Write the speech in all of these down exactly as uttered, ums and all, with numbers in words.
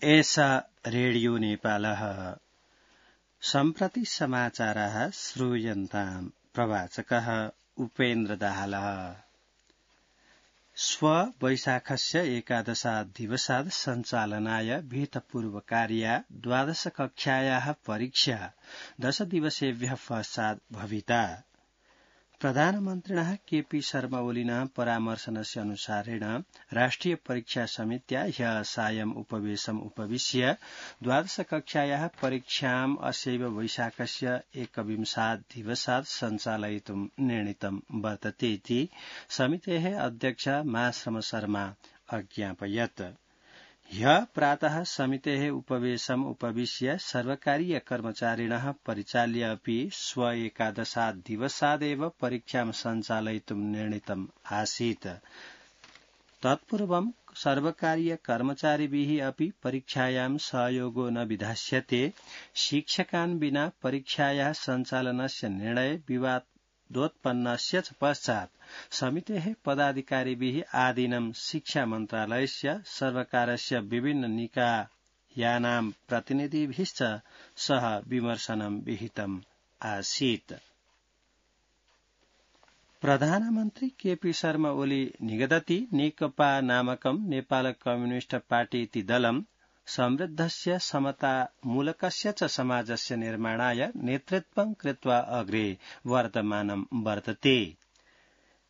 एषा रेडियो नेपालः सम्प्रति समाचारः श्रूयन्ताम् प्रवाचकः उपेन्द्र दाहालः। स्व वैशाखस्य एकादशात् दिवसात् सञ्चालनाय विहितपूर्वकार्या द्वादश कक्षायाः परीक्षा दश दिवसेभ्यः पश्चात् भविता। प्रधानमन्त्रिणः केपी शर्मा ओलिनः परामर्शनस्य अनुसारेण राष्ट्रिय परीक्षा समित्या ह्यः सायम् उपवेशम् उपविश्य द्वादश कक्षायाः परीक्षाम् अस्यैव वैशाखस्य एकविंशात् दिवसात् सञ्चालयितुं निर्णीतं वर्तते इति समितेः अध्यक्ष माश्रम शर्मा अज्ञापयत्। ह्यः प्रातः समितेः उपवेशम् उपविश्य सर्वकारीय कर्मचारिणः परिचाल्य अपि स्व एकादशात् दिवसादेव परीक्षां सञ्चालयितुं निर्णीतम् आसीत्। तत्पूर्वं सर्वकारीय कर्मचारिभिः अपि परीक्षायां सहयोगो न विधास्यते। शिक्षकान् विना परीक्षायाः सञ्चालनस्य निर्णय विवादोत्पन्नस्य च पश्चात् समितेः पदाधिकारिभिः आदिनं शिक्षा मन्त्रालयस्य सर्वकारस्य विभिन्न निकायानां प्रतिनिधिभिश्च सह विमर्शनं विहितम् आसीत्। प्रधानमन्त्री केपी शर्मा ओली निगदति नेकपा नामकं नेपाल कम्युनिस्ट पार्टी इति दलं समृद्धस्य समतामूलकस्य च समाजस्य निर्माणाय नेतृत्वं कृत्वा अग्रे वर्तमानं वर्तते।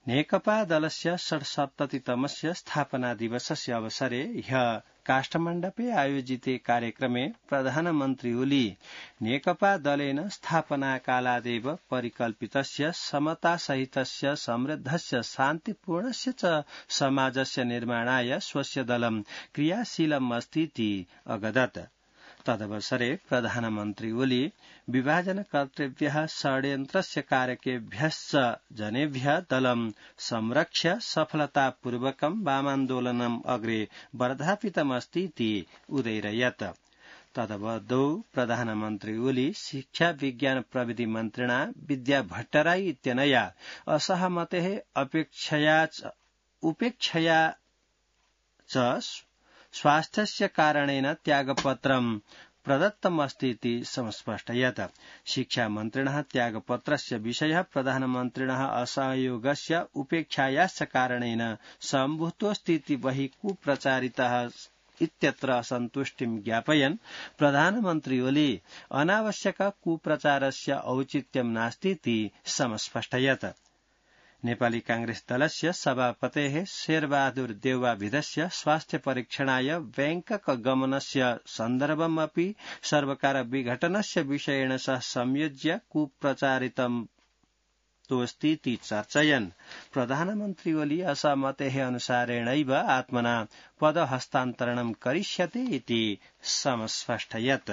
नेकपा दलस्य षट्सप्ततितमस्य स्थापना दिवसस्य अवसरे ह्यः काष्ठमण्डपे आयोजिते कार्यक्रमे प्रधानमन्त्री ओली नेकपा दलेन स्थापनाकालादेव परिकल्पितस्य समतासहितस्य समृद्धस्य शान्तिपूर्णस्य च समाजस्य निर्माणाय स्वस्य दलं क्रियाशीलम् अस्ति इति अगदत्। तदवसरे प्रधानमन्त्री ओली विभाजनकर्तृभ्यः षड्यन्त्रस्य कारकेभ्यश्च जनेभ्यः दलं संरक्ष्य सफलतापूर्वकं वामान्दोलनम् अग्रे वर्धापितमस्ति इति उदैरयत्। तदवधौ प्रधानमन्त्री ओली शिक्षा विज्ञान प्रविधि मन्त्रिणा विद्या भट्टराई इत्यनया असहमतेः अपेक्षया उपेक्षया च स्वास्थ्यस्य कारणेन त्यागपत्रं प्रदत्तमस्ति इति संस्पष्टयत्। शिक्षामन्त्रिणः त्यागपत्रस्य विषयः प्रधानमन्त्रिणः असहयोगस्य उपेक्षायाश्च कारणेन सम्भूतोऽस्ति इति बहिः कुप्रचारितः इत्यत्र असन्तुष्टिं ज्ञापयन् प्रधानमन्त्री ओली अनावश्यक कुप्रचारस्य औचित्यं नास्ति इति समस्पष्टयत्। नेपाली कांग्रेस दलस्य सभापतेः शेरबहादुर देउवाभिधस्य स्वास्थ्य परीक्षणाय बैंकक गमनस्य सन्दर्भमपि सर्वकार विघटनस्य विषयेण सह संयोज्य कुप्रचारितं तोऽस्ति इति चर्चयन् प्रधानमन्त्री ओली असहमतेः अनुसारेणैव आत्मना पदहस्तान्तरणं करिष्यते इति समस्पष्टयत्।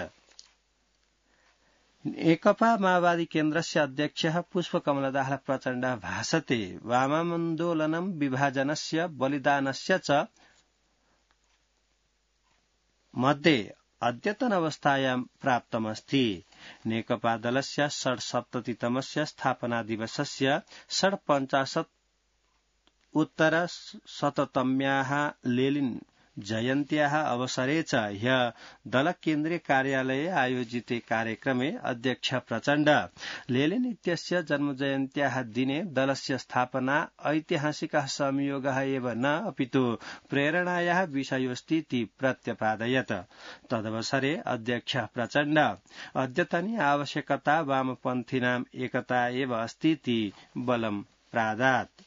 एकपा माओवादी केन्द्रस्य अध्यक्षः पुष्पकमल दाहाल प्रचण्डः भाषते वामान्दोलनं विभाजनस्य बलिदानस्य च मध्ये अद्यतन अवस्थायां प्राप्तमस्ति। नेकपा दलस्य षट्सप्ततितमस्य स्थापना दिवसस्य षट्पञ्चाशत् उत्तर शततम्याः लेलिन जयन्त्याः अवसरे च ह्यः दल केन्द्रीय कार्यालये आयोजिते कार्यक्रमे अध्यक्ष प्रचण्ड लेलिन इत्यस्य जन्मजयन्त्याः दिने दलस्य स्थापना ऐतिहासिकः संयोगः एव न अपितु प्रेरणायाः विषयोऽस्ति इति प्रत्यपादयत्। तदवसरे अध्यक्ष प्रचण्ड अद्यतनी आवश्यकता वामपन्थीनाम् एकता एव अस्ति इति बलं प्रादात्।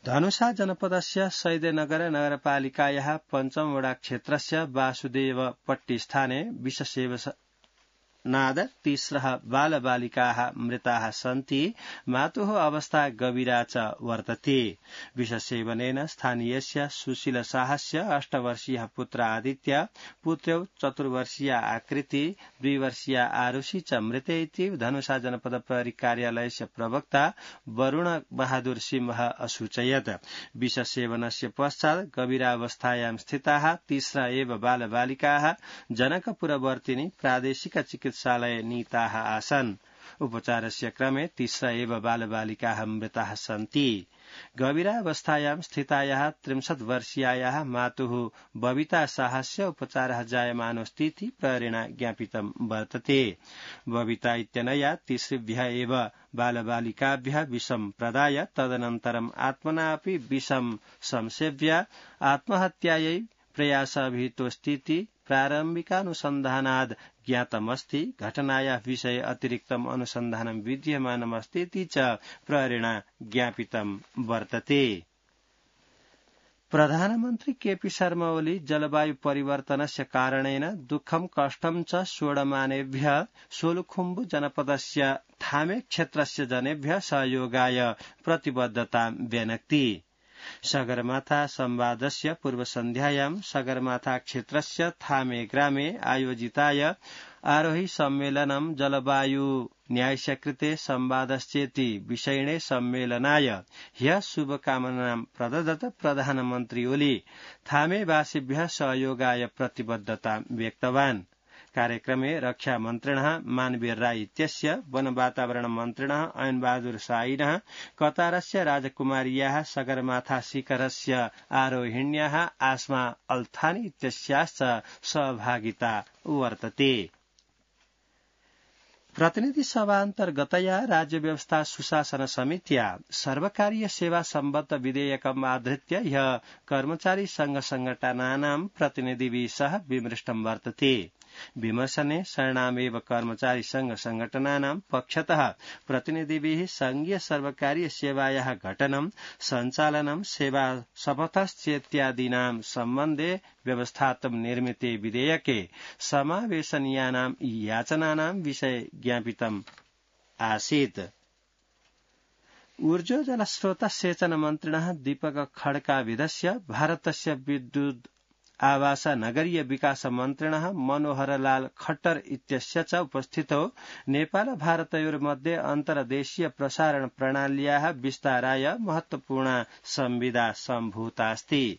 धनुषा जनपदस्य सैदनगर नगरपालिकायाः पञ्चम वडा क्षेत्रस्य वासुदेवपट्टी स्थाने विषसेवनाद तीस्रः बालबालिकाः मृताः सन्ति। मातुः अवस्था गभीरा च वर्तते। विषसेवनेन स्थानीयस्य सुशील साहस्य अष्टवर्षीयः पुत्र आदित्य, पुत्रौ चतुर्वर्षीया आकृति, द्विवर्षीया आरुषि च मृते इति धनुषा जनपद प्रहरी कार्यालयस्य प्रवक्ता वरुण बहादुर सिंह असूचयत्। विषसेवनस्य पश्चात् गभीरावस्थायां स्थिताः तीस्रा एव बालबालिकाः जनकपुरवर्तिनी प्रादेशिक चिकित्सालये नीताः आसन्। उपचारस्य क्रमे तिस्र एव बालबालिकाः मृताः सन्ति। गभीरावस्थायां स्थितायाः त्रिंशत् वर्षीयायाः मातुः बबिता शाहस्य उपचारः जायमानोऽस्तीति प्रहरेण ज्ञापितं वर्तते। बबिता इत्यनया तिसृभ्यः एव बालबालिकाभ्यः विषं प्रदाय तदनन्तरम् आत्मना अपि विषं संसेव्य आत्महत्यायै प्रयासभितोऽस्तीति प्रारम्भिकानुसन्धानाद् ज्ञातमस्ति। घटनायाः विषये अतिरिक्तम् अनुसन्धानं विद्यमानमस्तीति च प्रहरेण ज्ञापितं वर्तते। प्रधानमन्त्री केपी शर्मा ओली जलवायु परिवर्तनस्य कारणेन दुःखं कष्टं च सोढमानेभ्यः सोलुखुम्बु जनपदस्य थामे क्षेत्रस्य जनेभ्यः सहयोगाय प्रतिबद्धतां व्यनक्ति। सगरमाथा संवादस्य पूर्वसन्ध्यायां सगरमाथा क्षेत्रस्य थामे ग्रामे आयोजिताय आरोही सम्मेलनं जलवायु न्यायस्य कृते संवादश्चेति विषयिणे सम्मेलनाय ह्यः शुभकामनां प्रददत प्रधानमन्त्री ओली थामेवासिभ्यः सहयोगाय प्रतिबद्धतां व्यक्तवान्। कार्यक्रमे रक्षा मन्त्रिणः मानवीय राय इत्यस्य वन वातावरण मन्त्रिणः अयनबहादुर साइनः कतारस्य राजकुमार्याः सगरमाथा शिखरस्य आरोहिण्याः आस्मा अल्थानी इत्यस्याश्च सहभागिता वर्तते। प्रतिनिधि सभान्तर्गतया राज्य व्यवस्था सुशासन समित्या सर्वकारीय सेवा सम्बद्ध विधेयकम् आधृत्य ह्यः कर्मचारी संघ संघटनानां प्रतिनिधिभिः सह विमृष्टं वर्तते। विमर्शने शरणामेव कर्मचारी संघ संघटनानां पक्षतः प्रतिनिधिभिः संघीय सर्वकारीय सेवायाः घटनं सञ्चालनं सेवा शपथश्चेत्यादीनां सम्बन्धे व्यवस्थात्मक निर्मिते विधेयके समावेशनीयानां याचनानां विषये ज्ञापितम् आसीत्। ऊर्जो जलस्रोत सेचन मन्त्रिणः दीपक खड्काविधस्य भारतस्य विद्युत् आवास नगरीय विकास मन्त्रिणः मनोहरलाल खट्टर इत्यस्य च उपस्थितौ नेपाल भारतयोर्मध्ये अन्तर्देशीय प्रसारण प्रणाल्याः विस्ताराय महत्वपूर्ण संविदा सम्भूतास्ति।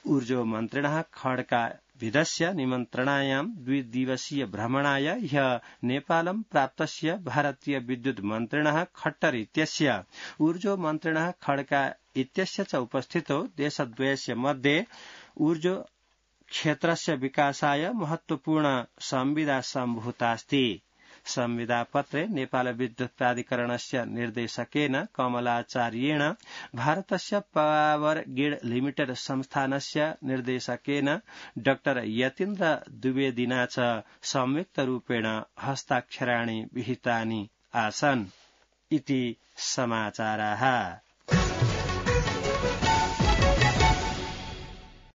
ऊर्जो मन्त्रिणः खड्का विधस्य निमन्त्रणायां द्विदिवसीय भ्रमणाय ह्यः नेपालं प्राप्तस्य भारतीय विद्युत् मन्त्रिणः खट्टर इत्यस्य ऊर्जो मन्त्रिणः खड्का इत्यस्य च उपस्थितौ देशद्वयस्य मध्ये ऊर्जो क्षेत्रस्य विकासाय महत्वपूर्ण संविदा सम्भूतास्ति। संविदापत्रे नेपाल विद्युत् प्राधिकरणस्य निर्देशकेन कमलाचार्येण भारतस्य पावर ग्रिड लिमिटेड संस्थानस्य निर्देशकेन डाक्टर यतीन्द्र द्विवेदिना च संयुक्तरूपेण हस्ताक्षराणि विहितानि आसन् इति समाचाराः।